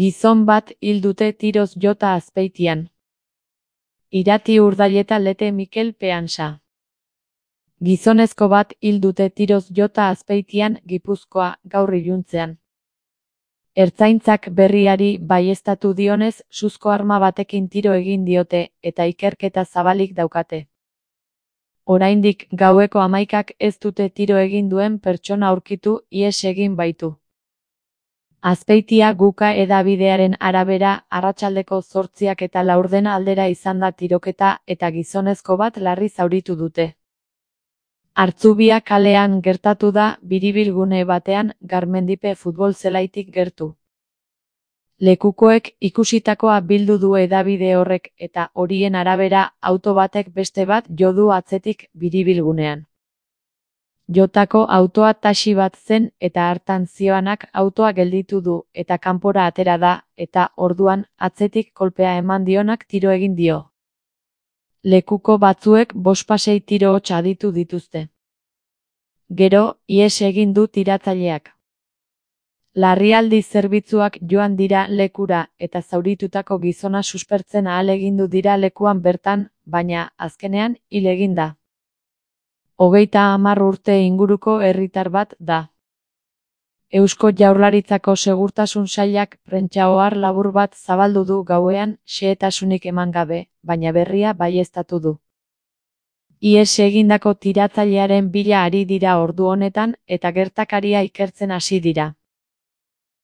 Gizon bat hil dute tiroz jota Azpeitian. Irati Urdaileta Lete Mikel Peansa. Gizonezko bat hil dute tiroz jota Azpeitian, Gipuzkoa, gaur iluntzean. Ertzaintzak berriari baieztatu dionez, suzko arma batekin tiro egin diote, eta ikerketa zabalik daukate. Oraindik gaueko 11ak ez dute tiro egin duen pertsona aurkitu, ihes egin baitu. Azpeitia Guka hedabidearen arabera, arratsaldeko 8:04 aldera izan da tiroketa eta gizonezko bat larri zauritu dute. Hartzubia kalean gertatu da, biribilgune batean, Garmendipe futbol zelaitik gertu. Lekukoek ikusitakoa bildu du hedabide horrek eta horien arabera auto batek beste bat jo du atzetik biribilgunean. Jotako autoa taxi bat zen eta hartan zihoanak autoa gelditu du eta kanpora atera da eta orduan atzetik kolpea eman dionak tiro egin dio. Lekuko batzuek 5-6 tiro hots aditu dituzte. Gero, ihes egin du tiratzaileak. Larrialdi zerbitzuak joan dira lekura eta zauritutako gizona suspertzen ahalegindu dira lekuan bertan, baina, azkenean, hil egin da. 30 urte inguruko herritar bat da. Eusko Jaurlaritzako Segurtasun Sailak prentsa-ohar labur bat zabaldu du gauean, xehetasunik eman gabe, baina berria baieztatu du. Ihes egindako tiratzailearen bila ari dira ordu honetan eta gertakaria ikertzen hasi dira.